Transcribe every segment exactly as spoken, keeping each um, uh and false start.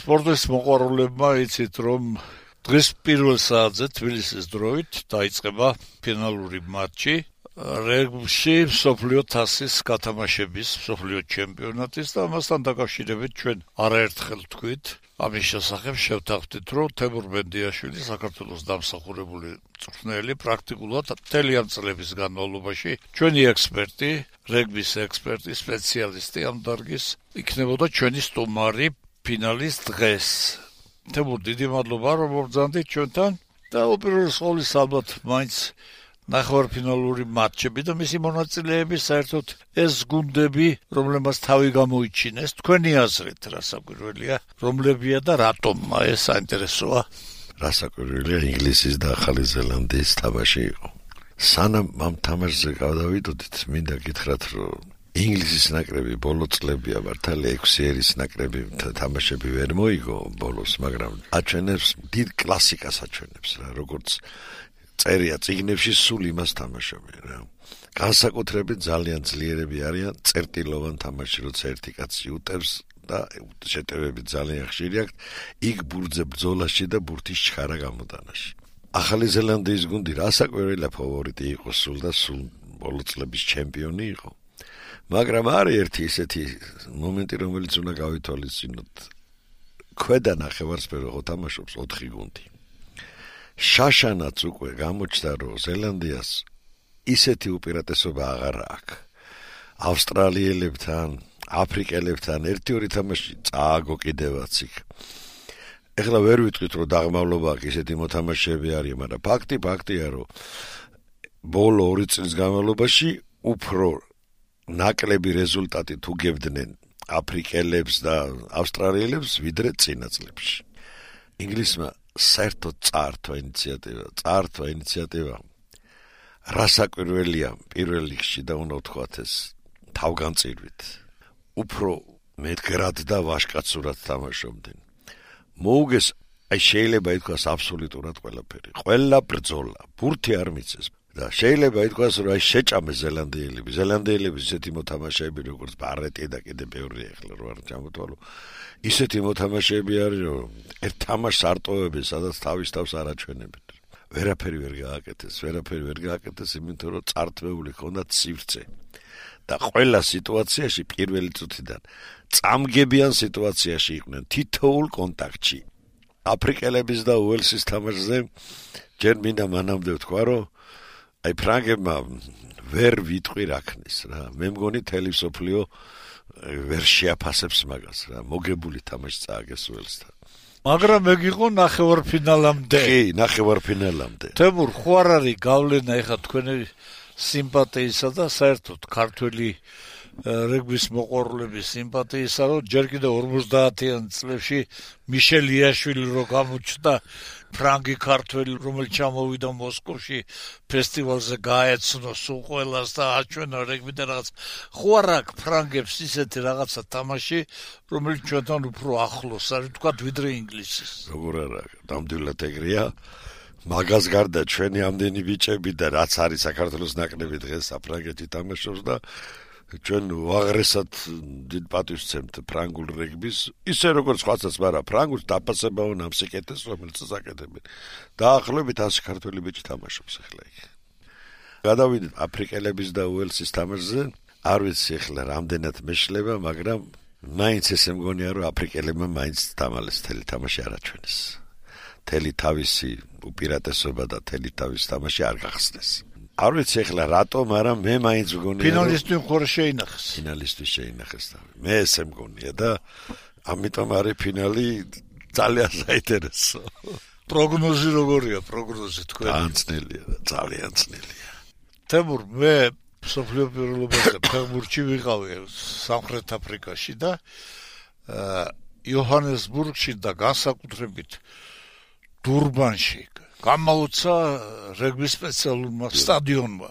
სპორტის მოყვარულებმა იცით, რომ დღეს პირველ საათზე თბილისის დროით დაიწყება ფინალური მატჩი რეგბიში მსოფლიო თასის გათამაშების მსოფლიო ჩემპიონატის და ამასთან დაკავშირებით ჩვენ არაერთხელ თქვით ამის შესახებ შევთანხმდით, რომ თემურ მენდიაშვილი საქართველოს დამსახურებული მწვრთნელი პრაქტიკულად მთელი ამ წლების განმავლობაში ჩვენი ექსპერტი, რეგბის ექსპერტი, სპეციალისტი ამ დარგის იქნებოდა ჩვენი სტუმარი ფინალის დღეს. თემურ, დიდი მადლობა, რომ მობრძანდით ჩვენთან და უპირველეს ყოვლისა ალბათ მაინც ნახევარფინალური მატჩები და მისი მონაწილეები საერთოდ ეს გუნდები, რომლებმაც თავი გამოიჩინეს, თქვენი აზრით რასაკვირველია, რომლებია და რატომ ეს საინტერესოა? რასაკვირველია, ინგლისის და ახალი ზელანდიის თამაში იყო. სანამ ამ თამაშზე გავდავიდოდით, მინდა გითხრათ, რომ ინგლისის ნაკრები ბოლო წლებია მართალი ექვსი ერის ნაკრები თამაშები ვერ მოიგო ბოლოს, მაგრამ აჩვენებს დიდ კლასიკას აჩვენებს რა, როგორც წერია წიგნებში სულ იმას თამაშობენ რა. განსაკუთრებით ძალიან ძლიერები არიან წერტილოვან თამაში, როცა ერთი კაცი უტევს და შეტევები ძალიან ხშირი აქვს, იქ ბურთზე ბრძოლაში და ბურთის ჩხარა გამოტანაში. ახალი ზელანდიის გუნდი რასაკვირველია ფავორიტი იყო სულ და სულ ბოლო წლების ჩემპიონი იყო. მაგრამ არის ერთი ისეთი მომენტი, რომელიც უნდა გავითვალისწინოთ. ქვედა ნახევარსფერო ხო თამაშობს ოთხი გუნდი. შაშანაც უკვე გამოჩნდა, რომ ზელანდიას ისეთი უპირატესობა აღარ აქვს. ავსტრალიელებთან, აფრიკელებთან ერთი-ორი თამაში წააგო კიდევაც იქ. ეხლა ვერ ვიტყვით, რომ დაღმავლობა აქვს, ისეთი მოთამაშეები არიან, მაგრამ ფაქტი ფაქტია, რომ ბოლო ორი წლის განმავლობაში უფრო ნაკლები რეზულტატი თუ გებდნენ აფრიკელებს და ავსტრალიელებს, ვიდრე წინა წლებში. ინგლისმა საერთოდ წაართვა ინიციატივა, წაართვა ინიციატივა. რასაკვირველია პირველ რიგში და უნდა ვთქვათ ეს თავგანწირვით. უფრო მეტგრად და ვაჟკაცურად თამაშობდნენ. მოუგეს, აი შეიძლება ითქვას აბსოლუტურად ყველაფერი. ყველა ბრძოლა, ბურთი არ მიცეს. და შეიძლება ითქვას, რომ აი შეჭამე ზელანდიელები, ზელანდიელები ისეთი მოთამაშეები, როგორც ბარეტი და კიდე ბევრი ახლა რო არ ჩამოთვალო. ისეთი მოთამაშეები არის, რომ ერთ თამაშს არტოვებენ, სადაც თავის თავს არ აჩვენებენ. ვერაფერი ვერ გააკეთეს, ვერაფერი ვერ გააკეთეს, იმიტომ რომ წართვეული ჰქონდათ სივრცე. და ყველა სიტუაციაში პირველი წუთიდან წამგებიან სიტუაციაში იყვნენ თითოეულ კონტაქტში. აფრიკელების და უელსის თამაშზე ჯერ მინდა მანამდე ვთქვა, რომ აი ფრანგებმა ვერ ვიტყვი რაქნის რა. მე მგონი თელი მსოფლიო ვერ შეაფასებს მაგას რა. მოგებული თამაში წააგეს უელსთან. მაგრამ მეგიღო ნახევარფინალამდე. კი, ნახევარფინალამდე. თემურ, ხო არ არის გავლენა ეხა თქვენი სიმპათიისა და საერთოდ ქართველი რეგბის მოყვარულების სიმპათიისა, რომ ჯერ კიდევ ორმოცდაათიან წლებში მიშელ იაშვილი რო გამოჩნდა, ფრანგი ქართველი, რომელიც ჩამოვიდა მოსკოვში ფესტივალზე გაეცნო სულ ყველას და აჩვენა რეგბიდან რაღაც. ხო არ აქვს ფრანგებს ისეთი რაღაცა თამაში, რომელიც ჩვენთან უფრო ახლოს არის, ვთქვათ, ვიდრე ინგლისის. როგორ არა, ნამდვილად ეგრეა. მაგას გარდა ჩვენი ამდენი ბიჭები და რაც არის საქართველოს ნაკრები დღეს საფრანგეთში თამაშობს და ჩვენ უაღრესად დიდ პატივს ვცემთ ფრანგულ რეგბის, ისე როგორც სხვაცაც, მაგრამ ფრანგულს დაფასებაო ნამსიკეთეს, რომელიც აკეთებენ. დაახლოებით ასი ქართველი ბიჭი თამაშობს ახლა იქ. გადავიდეთ აფრიკელების და უელსის თამაშზე. არ ვიცი ახლა რამდენად მეშლება, მაგრამ მაინც ესე მგონია, რომ აფრიკელებმა მაინც დამალეს თელი თამაში არ აჩვენეს. თელი თავისი უპირატესობა და თელი თავისი თამაში არ გახსნეს. არ ვიცი ახლა რატომ, მაგრამ მე მაინც მგონია, რომ ფინალისტი ხوره შეინახეს. ფინალისტი შეინახეს თავი. მე ესე მგონია და ამიტომ არის ფინალი ძალიან საინტერესო. პროგნოზი როგორია, პროგნოზი თქვენი? განცნელია და ძალიან ძნელია. თემურ, მე მსოფლიო პირველობაზე ფეხბურთში ვიყავი სამხრეთ აფრიკაში და იოჰანესბურგში და განსაკუთრებით დურბანში გამაუცა რეგბის სპეციალურმა სტადიონმა.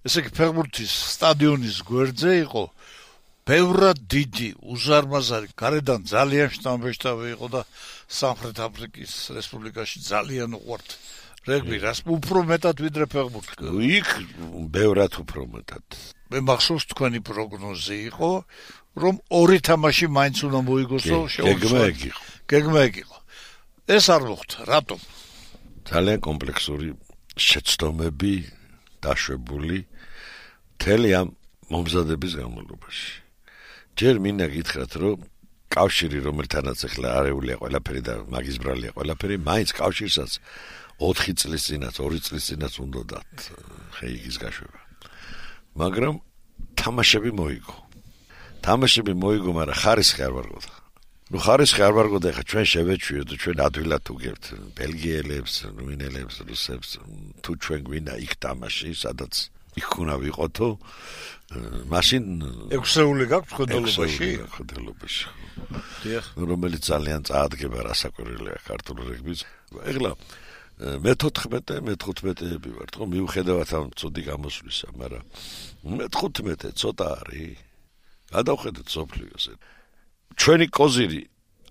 ესე იგი ფეხბურთის სტადიონის გვერდზე იყო ბევრად დიდი, უზარმაზარი, გარედან ძალიან შთამბეჭდავი იყო და სამხრეთ აფრიკის რესპუბლიკაში ძალიან უყვართ რეგბი, რას უფრო მეტად ვიდრე ფეხბურთი. იქ ბევრად უფრო მეტად. მე მახსოვს თქვენი პროგნოზი იყო, რომ ორი თამაში მაინც უნდა მოიგოსო შეუძლია. გეგმა ეგ იყო. ეს არ მოხდა, რატომ? ძალიან კომპლექსური შეცდომები დაშვებული მთელი ამ მომზადების განმავლობაში. ჯერ მინდა გითხრათ, რომ კავშირი, რომელთანაც ახლა არეულია ყველაფერი და მაგის ბრალია ყველაფერი, მაინც კავშირსაც ოთხი წლის წინაც, ორი წლის წინაც უნდა დათ ხეიგის გაშვება. მაგრამ თამაშები მოიგო. თამაშები მოიგო, მაგრამ ხარისხი არ ვარგოდა. ნუ ხარისხი არ ვარგოდა, ხა ჩვენ შევეჩვიოთ, ჩვენ ადვილად უგებთ ბელგიელებს, რუმინელებს, რუსებს, თუ ჩვენ გვინდა იქ თამაში, სადაც იქ უნდა ვიყოთო, მაშინ ექვსეული გაქვს ხდელობაში? ხდელობაში. დიახ. რომელიც ძალიან წაადგება რასაკვირველია ქართული რეგბის. ეხლა მეთოთხმეტე, მეთოთხმეტეები ვართ, ხო, მიუხედავად ამ ცუდი გამოსვლისა, მაგრამ მეთოთხმეტე ცოტა არის. გადავხედეთ სოფლიოზე. ჩვენი კოზირი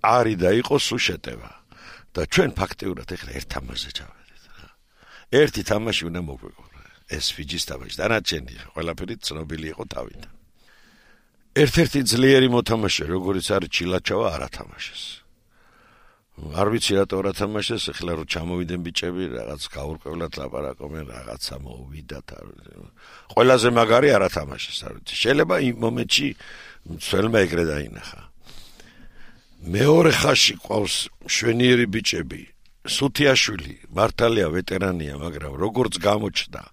არის და იყოს უშეტევა და ჩვენ ფაქტიურად ეხლა ერთ თამაშზე ჩავედით. ერთი თამაში უნდა მოგვიგო. ეს ფიჯის თამაში, დანარჩენი ყველაფერი ცნობილი იყო თავიდან. ერთ-ერთი ძლიერი მოთამაშე, როგორიც არის ჩილაჩავა, არ ათამაშეს. არ ვიცი რატო არ ათამაშეს, ეხლა რომ ჩამოვიდნენ ბიჭები, რაღაც გაურკვევლად ლაპარაკობენ, რაღაცა მოვიდათ. ყველაზე მაგარი არ ათამაშეს, არ ვიცი. შეიძლება იმ მომენტში ცველმა ეგრე დაინახა. მეორე ხაზში ყავს შვენიერი ბიჭები, სუთიაშვილი, მართალია ვეტერანია, მაგრამ როგორც გამოჩნდა,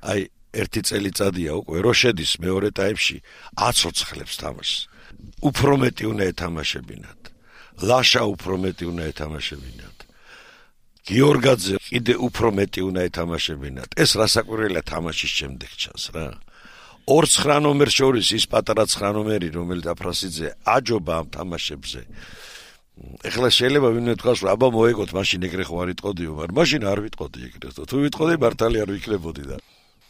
აი ერთი წელიწადია უკვე რო შედის მეორე ტაიმში აცოცხლებს თამაშს. უფრო მეტი უნდა ეთამაშებინათ. ლაშა უფრო მეტი უნდა ეთამაშებინათ. გიორგაძე კიდე უფრო მეტი უნდა ეთამაშებინათ. ეს რასაკვირველია თამაშის შემდეგ ჩანს რა. ორ ცხრა ნომერს შორის ის პატარა ცხრა ნომერი, რომელიც აფრასიძე აჯობა ამ თამაშებზე. ეხლა შეიძლება ვინმე თქვას, რომ აბა მოეგოთ, მაშინ ეგრე ხო არ იტყოდიო, მაგრამ მაშინ არ ვიტყოდი ეგრე. თუ ვიტყოდი, მართალი არ ვიქნებოდი და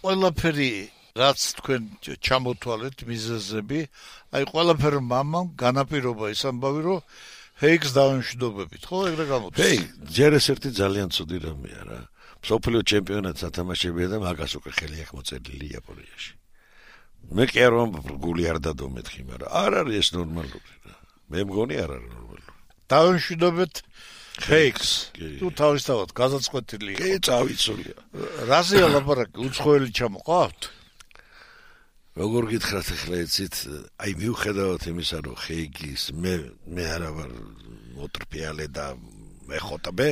ყველაფერი რაც თქვენ ჩამოთვალეთ მიზეზები, აი ყველაფერი მამამ განაპირობა ის ამბავი, რომ ჰეიგს დავემშვიდობებით, ხო, ეგრე გამოდის. ჰეი, ჯერ ეს ერთი ძალიან ცუდი რამეა რა. მსოფლიო ჩემპიონატს ათამაშებია და მაგას უკვე ხელი აქვს მოწერილი იაპონიაში. მე კი არ ვამბობ გული არ დადო მეთქი, მაგრამ არ არის ეს ნორმალური რა. მე მგონი არ არის ნორმალური. დავემშვიდობეთ ჰეიგს. თუ თავისთავად გაზაწყვეტილი იყო. კი, წავიცულია. რაზეა ლაპარაკი, უცხოელი ჩამოყავთ? როგორ გითხრათ ახლა იცით, აი მიუხედავად იმისა, რომ ჰეიგის მე მე არა ვარ მოტრფიალე და მეხოტბე,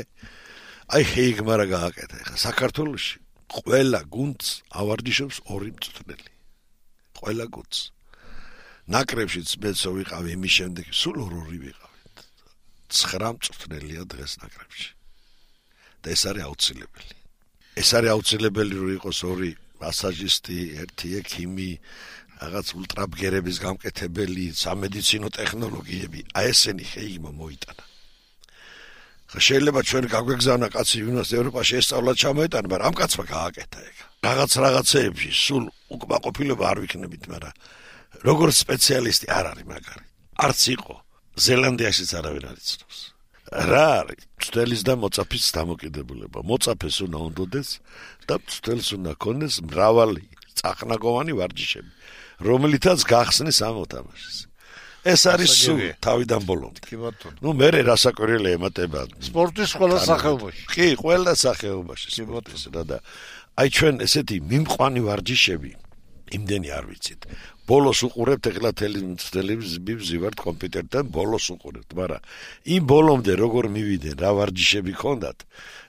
აი ჰეიგმა რა გააკეთა ახლა საქართველოში ყველა გუნდს ავარჯიშობს ორი მწვრთნელი. ყველა გუნდს. ნაკრებშიც მეცო ვიყავი იმის შემდეგ, სულ ორი ვიყავით. ცხრა მწვრთნელია დღეს ნაკრებში. და ეს არის აუცილებელი. ეს არის აუცილებელი რომ იყოს ორი მასაჟისტი, ერთი ექიმი, რაღაც ულტრაბგერების გამკეთებელი, სამედიცინო ტექნოლოგიები. აი ესენი ჰეიგმა მოიტანა. ხა შეიძლება ჩვენ გაგვეგზავნა კაცი ვინმეს ევროპაში ესწავლა ჩამოეტანა, მაგრამ ამ კაცმა გააკეთა ეგ. რაღაც რაღაცეებში სულ უკმაყოფილება არ ვიქნებით, მაგრამ როგორც სპეციალისტი არ არის მაგარი. არც იყო. ზელანდიაშიც არავინ არ იცნობს. რა არის? მწვრთნელის და მოწაფის დამოკიდებულება. მოწაფეს უნდა უნდოდეს და მწვრთნელს უნდა ქონდეს მრავალი წახნაგოვანი ვარჯიშები, რომლითაც გახსნის ამ მოთამაშეს. ეს არის სულ თავიდან ბოლომდე. კი ბატონო. ნუ მე რასაკვირველია ემატება სპორტის ყველა სახეობაში. კი, ყველა სახეობაში სპორტის რა და აი ჩვენ ესეთი მიმყვანი ვარჯიშები იმდენი არ ვიცით. ბოლოს უყურებთ ეხლა ტელევიზიებს ვივართ კომპიუტერთან, ბოლოს უყურებთ, მაგრამ იმ ბოლომდე როგორ მივიდნენ, რა ვარჯიშები ქონდათ,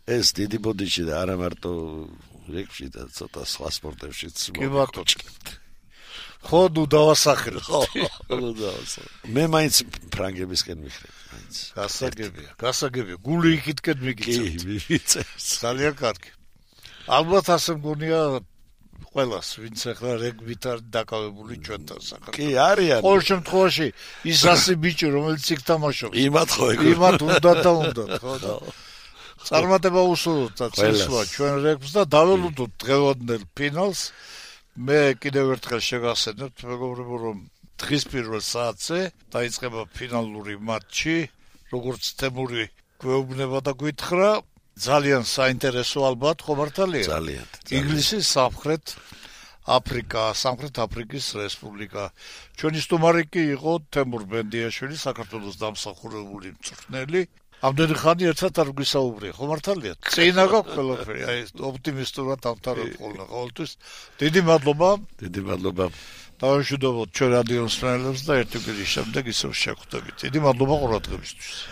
ეს დიდი ბოდიში და არა მარტო რეგბიში და ცოტა სხვა სპორტებშიც მოგჭლებთ. ხო, ნუ დავასახელოთ. ხო, ნუ დავასახელოთ. მე მაინც ფრანგებისკენ მიხრებ, მაინც. გასაგებია, გასაგებია. გული იქითკენ მიგიწევთ. კი, მივიწევს. ძალიან კარგი. ალბათ ასე მგონია ყველას, ვინც ახლა რეგბით არის დაკავებული ჩვენთან საქართველოს. კი, არიან. ყოველ შემთხვევაში ის ასი ბიჭი, რომელიც იქ თამაშობს. იმათ ხო ეგ. იმათ უნდა და უნდა, ხო და. წარმატება უსურვოთ და წესვა ჩვენ რეგბს და დაველოდოთ დღევანდელ ფინალს. მე კიდევ ერთხელ შეგახსენებთ, მეგობრებო, რომ დღის პირველ საათზე დაიწყება ფინალური მატჩი, როგორც თემური გვეუბნება და გვითხრა. ძალიან საინტერესო ალბათ, ხო მართალია? ძალიან. ინგლისის სამხრეთ აფრიკა, სამხრეთ აფრიკის რესპუბლიკა. ჩვენი სტუმარი კი იყო თემურ ბენდიაშვილი, საქართველოს დამსახურებული მწვრთნელი. ამდენი ხანი ერთად არ გვისაუბრია, ხო მართალია? წინა გაქვს ყველაფერი, აი ოპტიმისტურად ამთავრებ ხოლმე ყოველთვის. დიდი მადლობა. დიდი მადლობა. დავაშვიდობოთ ჩვენ რადიო მსმენელებს და ერთი კვირის შემდეგ ისევ შევხვდებით. დიდი მადლობა ყურადღებისთვის.